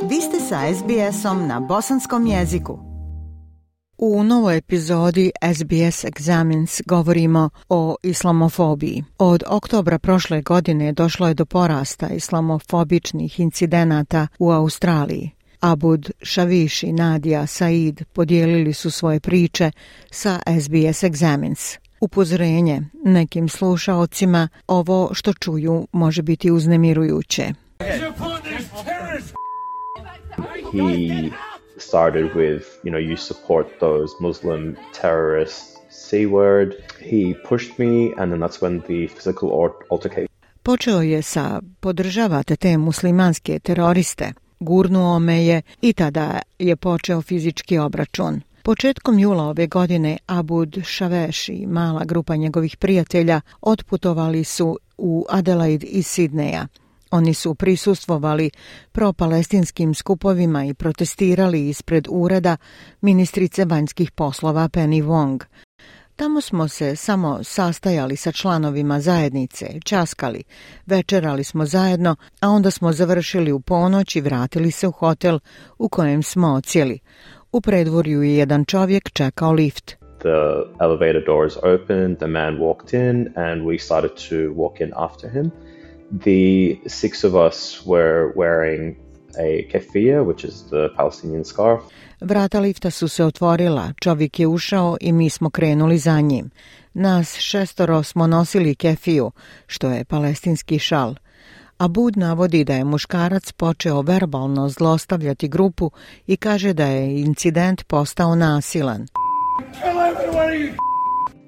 Vi ste sa SBS-om na bosanskom jeziku. U novoj epizodi SBS Examines govorimo o islamofobiji. Od oktobra prošle godine došlo je do porasta islamofobičnih incidenata u Australiji. Abud Shavish i Nadia Said podijelili su svoje priče sa SBS Examines. Upozorenje nekim slušaocima, ovo što čuju može biti uznemirujuće. He started with, you support those Muslim terrorists, C-word. He pushed me and then that's when the physical altercation. Počeo je sa podržavate te muslimanske teroriste. Gurnuo me je i tada je počeo fizički obračun. Početkom jula ove godine Abud Shavish i mala grupa njegovih prijatelja otputovali su u Adelaide iz Sidneja. Oni su prisustvovali pro-palestinskim skupovima i protestirali ispred ureda ministrice vanjskih poslova Penny Wong. Tamo smo se samo sastajali sa članovima zajednice, časkali, večerali smo zajedno, a onda smo završili u ponoć i vratili se u hotel u kojem smo odsjeli. U predvorju je jedan čovjek čekao lift. The elevator doors opened, the man walked in and we started to walk in after him. The six of us were wearing a keffiyeh, which is the Palestinian scarf. Vrata lifta su se otvorila, čovjek je ušao i mi smo krenuli za njim. Nas 6 smo nosili kefiju, što je palestinski šal. Abud navodi da je muškarac počeo verbalno zlostavljati grupu i kaže da je incident postao nasilan.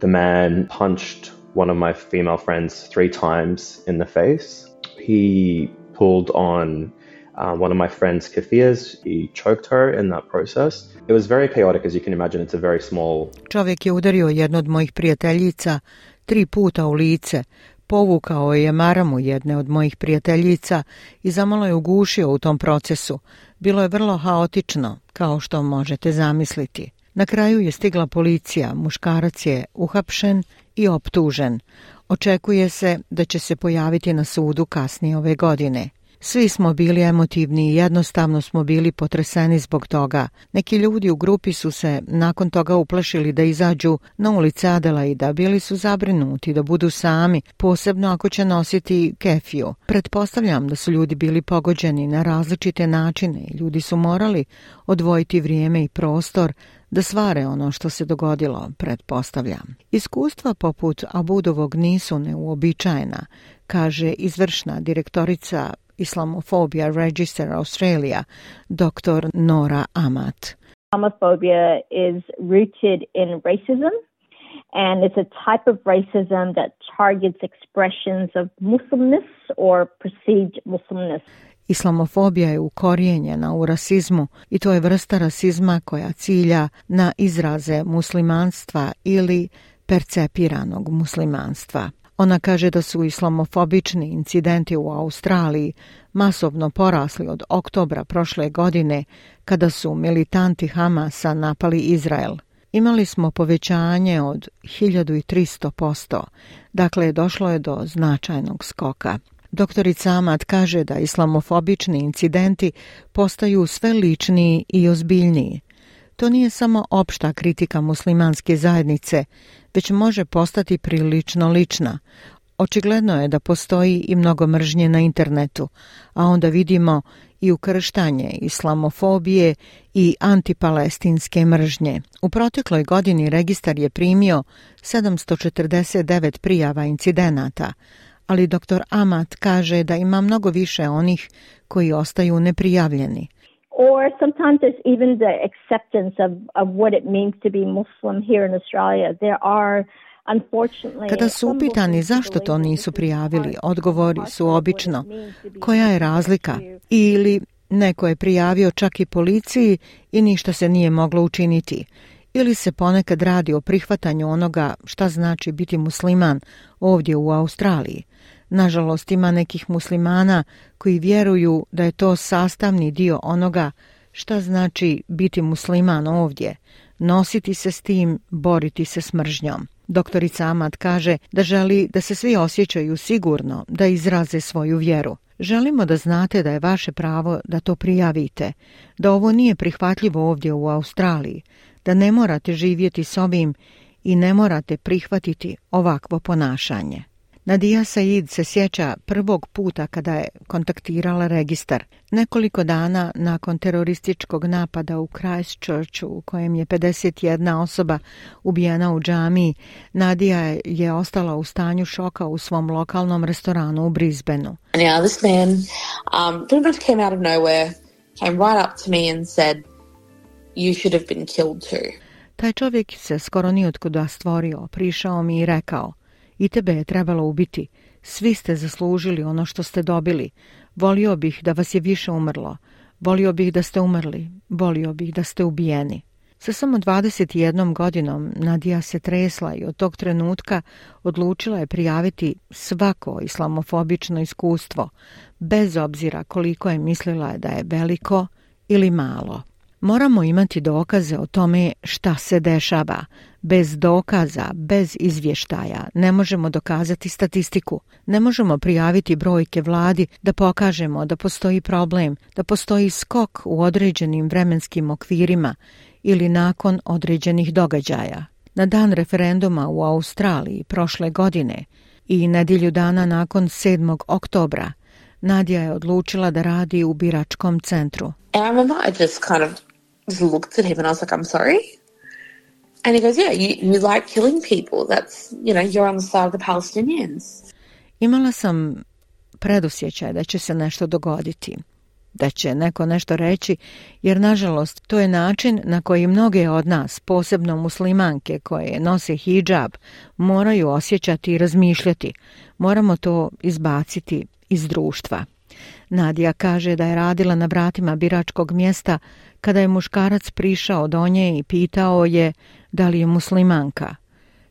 The man punched one of my female friends 3 times in the face. He pulled on one of my friend's keffiyehs. He choked her in that process. It was very chaotic, as you can imagine. It's a very small... Čovjek je udario jednu od mojih prijateljica 3 puta u lice, povukao je maramu jedne od mojih prijateljica i zamalo je ugušio u tom procesu. Bilo je vrlo haotično, kao što možete zamisliti. Na kraju je stigla policija, muškarac je uhapšen i optužen. Očekuje se da će se pojaviti na sudu kasnije ove godine. Svi smo bili emotivni i jednostavno smo bili potreseni zbog toga. Neki ljudi u grupi su se nakon toga uplašili da izađu na ulice Adelaida, bili su zabrinuti da budu sami, posebno ako će nositi kefiju. Pretpostavljam da su ljudi bili pogođeni na različite načine i ljudi su morali odvojiti vrijeme i prostor da svare ono što se dogodilo, pretpostavljam. Iskustva poput Abudovog nisu neuobičajena, kaže izvršna direktorica Islamophobia Register Australia, Dr. Nora Amat. Islamophobia is rooted in racism, and it's a type of racism that targets expressions of Muslimness or perceived Muslimness. Islamofobija je ukorijenjena u rasizmu i to je vrsta rasizma koja cilja na izraze muslimanstva ili percepiranog muslimanstva. Ona kaže da su islamofobični incidenti u Australiji masovno porasli od oktobra prošle godine kada su militanti Hamasa napali Izrael. Imali smo povećanje od 1300%, dakle došlo je do značajnog skoka. Doktorica Amat kaže da islamofobični incidenti postaju sve ličniji i ozbiljniji. To nije samo opšta kritika muslimanske zajednice, već može postati prilično lična. Očigledno je da postoji i mnogo mržnje na internetu, a onda vidimo i ukrštanje islamofobije i antipalestinske mržnje. U protekloj godini registar je primio 749 prijava incidenata, ali dr. Amat kaže da ima mnogo više onih koji ostaju neprijavljeni. Or sometimes there's even the acceptance of what it means to be Muslim here in Australia. There are unfortunately... Kada su upitani zašto to nisu prijavili, odgovori su obično koja je razlika ili neko je prijavio čak i policiji i ništa se nije moglo učiniti. Ili se ponekad radi o prihvatanju onoga šta znači biti musliman ovdje u Australiji. Nažalost, ima nekih muslimana koji vjeruju da je to sastavni dio onoga šta znači biti musliman ovdje, nositi se s tim, boriti se s mržnjom. Doktorica Amat kaže da želi da se svi osjećaju sigurno da izraze svoju vjeru. Želimo da znate da je vaše pravo da to prijavite, da ovo nije prihvatljivo ovdje u Australiji, da ne morate živjeti s ovim i ne morate prihvatiti ovakvo ponašanje. Nadia Said se sjeća prvog puta kada je kontaktirala registar. Nekoliko dana nakon terorističkog napada u Christchurchu, u kojem je 51 osoba ubijena u džamiji, Nadia je ostala u stanju šoka u svom lokalnom restoranu u Brisbaneu. Now this man pretty much came out of nowhere, came right up to me and said, "You should have been killed too." Taj čovjek se skoro nijotkuda stvorio, prišao mi i rekao: "I tebe je trebalo ubiti. Svi ste zaslužili ono što ste dobili. Volio bih da vas je više umrlo. Volio bih da ste umrli. Volio bih da ste ubijeni." Sa samo 21 godinom Nadia se tresla i od tog trenutka odlučila je prijaviti svako islamofobično iskustvo, bez obzira koliko je mislila da je veliko ili malo. Moramo imati dokaze o tome šta se dešava. Bez dokaza, bez izvještaja ne možemo dokazati statistiku. Ne možemo prijaviti brojke vladi da pokažemo da postoji problem, da postoji skok u određenim vremenskim okvirima ili nakon određenih događaja. Na dan referenduma u Australiji prošle godine i nedjelju dana nakon 7. oktobra, Nadia je odlučila da radi u biračkom centru. And I remember I just kind of just looked at him and I was like, "I'm sorry?" And he goes, "Yeah, you like killing people. That's, you're on the side of the Palestinians." Imala sam predosjećaj da će se nešto dogoditi, da će neko nešto reći, jer nažalost to je način na koji mnoge od nas, posebno muslimanke koje nose hidžab, moraju osjećati i razmišljati. Moramo to izbaciti iz društva. Nadia kaže da je radila na vratima biračkog mjesta kada je muškarac prišao do nje i pitao je da li je muslimanka.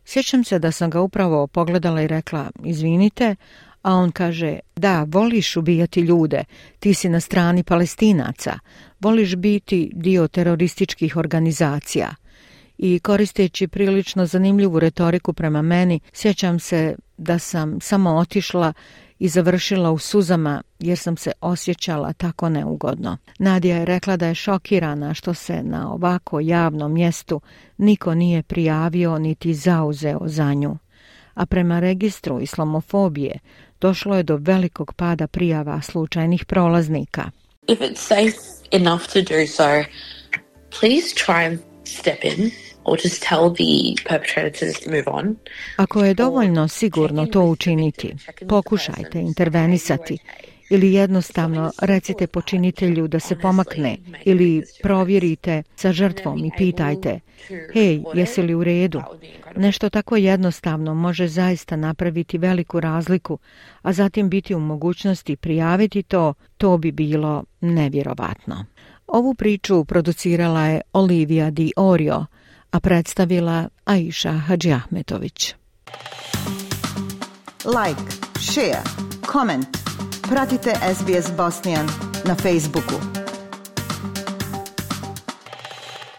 Sjećam se da sam ga upravo pogledala i rekla: "Izvinite", a on kaže: "Da, voliš ubijati ljude, ti si na strani Palestinaca, voliš biti dio terorističkih organizacija." I koristeći prilično zanimljivu retoriku prema meni, sjećam se da sam samo otišla i završila u suzama jer sam se osjećala tako neugodno. Nadia je rekla da je šokirana što se na ovako javnom mjestu niko nije prijavio niti zauzeo za nju. A prema registru islamofobije došlo je do velikog pada prijava slučajnih prolaznika. If it's safe enough to do so, please try and step in. Or just tell the perpetrator to just move on. Ako je dovoljno sigurno to učiniti, pokušajte intervenisati ili jednostavno recite počinitelju da se pomakne ili provjerite sa žrtvom i pitajte: "Hej, jesi li u redu?" Nešto tako jednostavno može zaista napraviti veliku razliku, a zatim biti u mogućnosti prijaviti to bi bilo nevjerovatno. Ovu priču producirala je Olivia Di Orio, a predstavila Aisha Hadžiahmetović. Like, share, comment. Pratite SBS Bosnian na Facebooku.